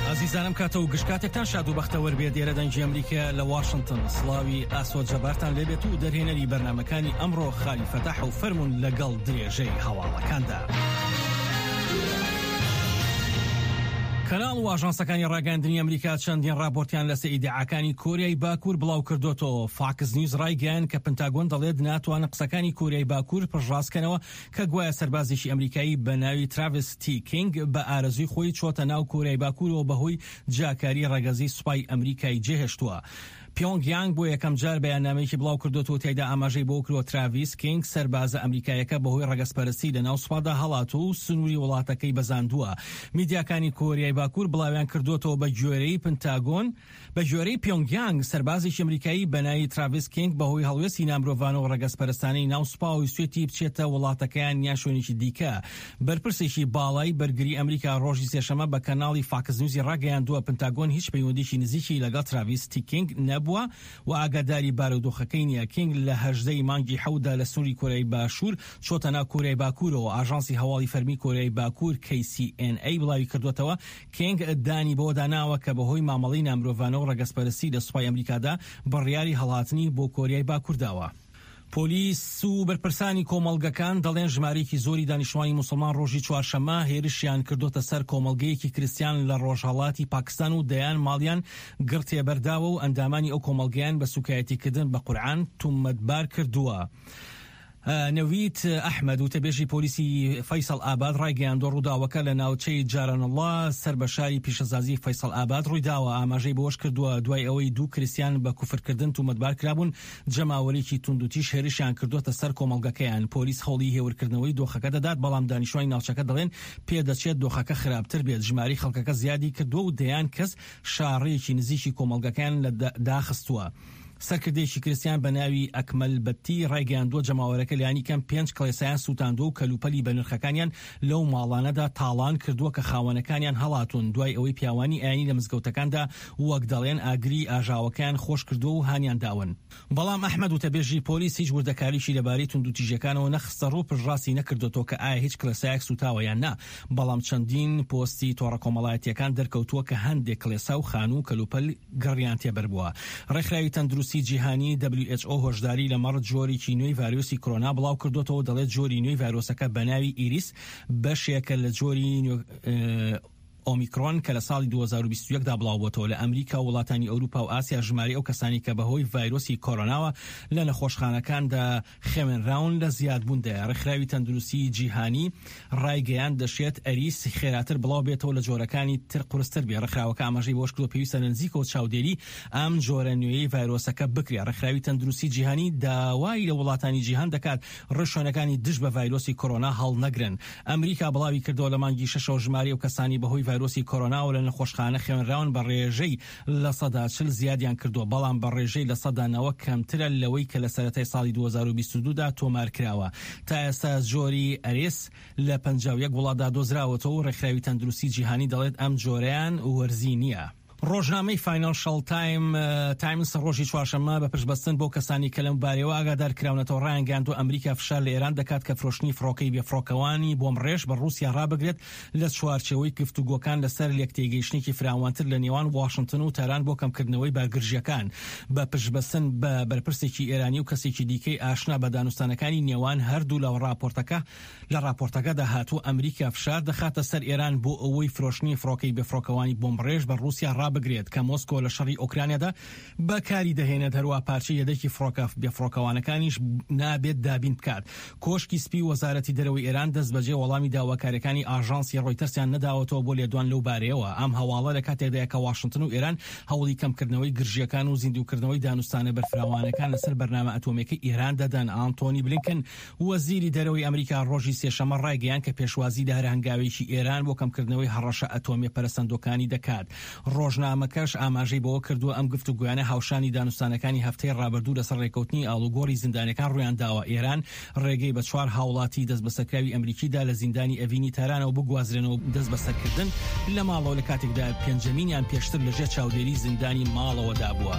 ئازیزانم کاتە و گشت کاتێکتان شاد و بەختەوەر بێت ئێرە دەنگی ئەمریکا لە واشنتن سڵاوی ئاسۆ جەبارتان لێبێت و دەرهێنەری بەرنمەکانی ئەمڕۆ خالی فەتاح و فەرمونون لەگەڵ درێژەی هەواڵەکاندا. کەناڵ و ئاژانسەکانی ڕاگەیاندنی ئەمریکا چەندین ڕاپۆرتیان لەسەر ئیدعاکانی کۆریای باکوور بڵاو کردۆتەوە. فاکس نیوز ڕایگەیاند کە پنتاگۆن دەڵێت ناتوانن قسەکانی کۆریای باکوور پشتڕاست کەنەوە کە گوایە سەربازێکی ئەمریکایی بە ناوی تراڤیس تی کینگ بە ئارەزووی خۆی چۆتە ناو کۆریای باکوورەوە بەهۆی جیاکاری ڕەگەزی سوپای ئەمریکای جێهێشتووە. پیۆنگ یانگ بۆ یەکەم جار بەیاننامەیەکی بڵاو کردۆتەوە تیایدا ئاماژەی بەوە کردووە تراڤیس کینگ سەربازە ئەمریکاییەکە بەهۆی ڕەگەزپەرستی لەناو سوپادا هەڵاتووە و سنووری وڵاتەکەی بەزاندووە. میدیاکانی کۆریای باکوور بڵاویان کردۆتەوە بە گوێرەی پنتاگۆن، بە گوێرەی پیۆنگ یانگ سەربازێکی ئەمریکایی بە ناوی تراڤیس کینگ بەهۆی هەڵوێستی نامرۆڤانە و ڕەگەزپەرستانەی ناو سوپاوە ویستویەتی بچێتە وڵاتەکەیان یان شوێنێکی دیکە. بەرپرسێکی باڵای بەرگری ئەمریکا ڕۆژی سێشەممە بە کەناڵی فاکس نیوزی ڕاگەیاندووە، پنتاگۆن هیچ پەیوەندییەکی نزیکی لەگەڵ تراڤیس تی کینگ نەبووە و ئاگاداری بارودۆخەکەی نییە. کینگ لە 18 ی مانگی حەوتدا لە سنووری کۆریای باشوور چۆتە ناو کۆریای باکوورەوە. ئاژانسی هەواڵی فەرمی کۆریای باکوور KCNA بڵاویکردووەتەوە، کینگ دانی بەوەدا ناوە کە بەهۆی مامەڵەی نامرۆڤانە و ڕەگەزپەرستی لە سوپای ئەمریکادا بڕیاری هەڵهاتنی بۆ کۆریای باکوور داوە. پۆلیس و بەرپرسانی کۆمەڵگەکان دەڵێن ژمارەیەکی زۆری دانیشتوانی موسڵمان ڕۆژی چوارشەممە هێرشیان کردۆتە سەر کۆمەڵگەیەکی کریستیان لە ڕۆژهەڵاتی پاکستان و دەیان ماڵیان گڕ تێبەرداوە و ئەندامانی ئەو کۆمەڵگەیان بە سوکایەتیکردن بە قورعان تومەتبار کردووە. نەوید ئەحمەد، وتەبێژی پۆلیسی فەیسەڵ ئاباد ڕایگەیاندووە، ڕووداوەکە لە ناوچەی جارانەڵڵا سەر بە شاری پیشەسازی فەیسەڵ ئاباد ڕوویداوە. ئاماژەی بەوەشکردووە، دوای ئەوەی دوو کریستیان بە کوفرکردن تومەتبار کرابوون، جەماوەرێکی توندوتیژ هێرشیان کردووەتە سەر کۆمەڵگەکەیان. پۆلیس هەوڵی هێورکردنەوەی دۆخەکە دەدات، بەڵام دانیشتوانی ناوچەکە دەڵێن، پێدەچێت دۆخەکە خراپتر بێت، ژمارەی خەڵکەکە زیادی کردووە و دەیان کەس شاڕێیەکی نزیکی کۆمەڵگەکەیان داخستووە. سەرکردەیەکی کریستیان بە ناوی ئەکمەل بەتتی ڕایگەیاندووە، جەماوەرەکە لانیکەم پێنج کڵێسایان سووتاندووە و کەلوپەلی بەنرخەکانیان لەو ماڵانەدا تاڵان کردووە کە خاوەنەکانیان هەڵاتوون، دوای ئەوەی پیاوانی ئاینی لە مزگەوتەکاندا وەک دەڵێن ئاگری ئاژاوەکەیان خۆش کردووە و هانیان داون. بەڵام ئەحمەد وتەبێژی پۆلیس هیچ وردەکاریی لەبارەی توندوتیژیەکانەوە نەخستەڕوو، پشتڕاستی نەکردۆتەوە کە ئایا هیچ کڵێسایەک سووتاوە یان نا، بەڵام چەندین پۆستی تۆڕە کۆمەڵایەتییەکان دەرکەوتووە کە هەندێک کڵێسا و خانوو و کەلوپەل گڕیان تێبەربووە. ڕێکخراوی تەندروستی جیهانی، WHO، هۆشداری لەمەڕ جۆرێکی نوێی ڤایرۆسی کۆرۆنا بڵاوکردۆتەوە و دەڵێت جۆری نوێی ڤایرۆسەکە بەناوی ئیریس بەشێکە لە جۆری ئۆمیکرۆن کە لە ساڵی 2021 دا بڵاوبۆتەوە. لە ئەمریکا و وڵاتانی ئەوروپا و ئاسیا ژمارەی ئەو کەسانەی کە بەهۆی ڤایرۆسی کۆرۆناوە لە نەخۆشخانەکاندا خەوێنراون لە زیادبووندایە. ڕێکخراوی تەندروستیی جیهانی ڕایگەیاند، دەشێت ئەریس خێراتر بڵاوبێتەوە لە جۆرەکانی تر قورستر بێت. ڕێکخراوەکە ئاماژەی بەوەشکردووە، پێویستە لە نزیکەوە چاودێری ئەم جۆرە نوێیەی ڤایرۆسەکە بکرێت. ڕێکخراوی تەندروستیی جیهانی داوای لە وڵاتانی جیهان دەکات ڕێوشوێنەکانی دژ بە ڤایرۆسی کۆرۆنا هەڵنەگرن. ئەمریکا بڵاویکردەوە، لە مانگی شەشەوە ژمارەی ئەو کەسانەی بەهۆی ڤایرۆسی کۆرۆناوە لە نەخۆشخانە خەوێنراون بە ڕێژەی 40% زیادیان کردووە، بەڵام بە ڕێژەی 90% کەمترە لەوەی کە لە سەرەتای ساڵی 2022 دا تۆمارکراوە. تا ئێستا جۆری ئەریس لە 51 وڵاتدا دۆزراوەتەوە و ڕێکخراوی تەندروستی جیهانی دەڵێت ئەم جۆرەیان وەرزی نییە. ڕۆژنامەی فاینانشاڵ تایمز ڕۆژی چوارشەممە بە پشتبەستن بەو کەسانەی کە لەم بارەیەوە ئاگادار کراونەتەوە ڕایانگەیاندووە ئەمریکا فشار لە ئێران دەکات کە فرۆشتنی فڕۆکەی بێفڕۆکەوانی بۆمبڕێژ بە ڕووسیا ڕابگرێت لە چوارچێوەی گفتوگۆکان لەسەر لێکتێگەیشتنێکی فراوانتر لە نێوان واشنتن و تاران بۆ کەمکردنەوەی بارگرژییەکان بە پشتبەستن بە بەرپرسێکی ئێرانی و کەسێکی دیکەی ئاشنا بە دانوستانەکانی نێوان هەردوولا و ڕاپۆرتەکە لە ڕاپۆرتەکەدا هاتووە ئەمریکا فشار دەخاتە سەر ئێران بۆ ئەوەی فرۆشتنی فڕۆکەی بێفڕۆکەوانی بۆمبڕێژ بە ڕووسیا ڕابگرێت کە مۆسکۆ لە شەڕی ئۆکرانیادا بەکاری دەهێنێت، هەروەها پارچەی یەدەکی فڕۆکە بێفڕۆکەوانەکانیش نابێت دابین بکات. کۆشکی سپی و وەزارەتی دەرەوەی ئێران دەستبەجێ وەڵامی داواکارییەکانی ئاژانسی ڕۆیتەرسیان نەداوەتەوە بۆ لێدوان لەو بارەیەوە. ئەم هەواڵە لە کاتێکدایە کە واشنتن و ئێران هەوڵی کەمکردنەوەی گرژییەکان و زیندووکردنەوەی دانوستانە بەرفراوانەکان لەسەر بەرنامە ئەتۆمییەکەی ئێران دەدەن. ئانتۆنی بلینکن، وەزیری دەرەوەی ئەمریکا ڕۆژی سێشەممە ڕایگەیاند کە پێشوازی لە هەر هەنگاوێکی ئێران بۆ کەمکردنەوەی هەڕەشە ئەتۆمییە پەرەسەندووەکانی دەکات. ڕۆژنامەکەش ئاماژەی بەوە کردووە، ئەم گفتوگۆیانە هاوشانی دانوستانەکانی هەفتەی ڕابردوو لەسەر ڕێککەوتنی ئاڵوگۆڕی زیندانیەکان ڕوویانداوە. ئێران ڕێگەی بە چوار هاوڵاتی دەستبەسەرکراوی ئەمریکی دا لە زیندانی ئەڤینی تارانەوە بگوازرێنەوە دەستبەسەرکردن لە ماڵەوە لە کاتێکدا پێنجەمینیان پێشتر لەژێر چاودێری زیندانی ماڵەوەدا بووە.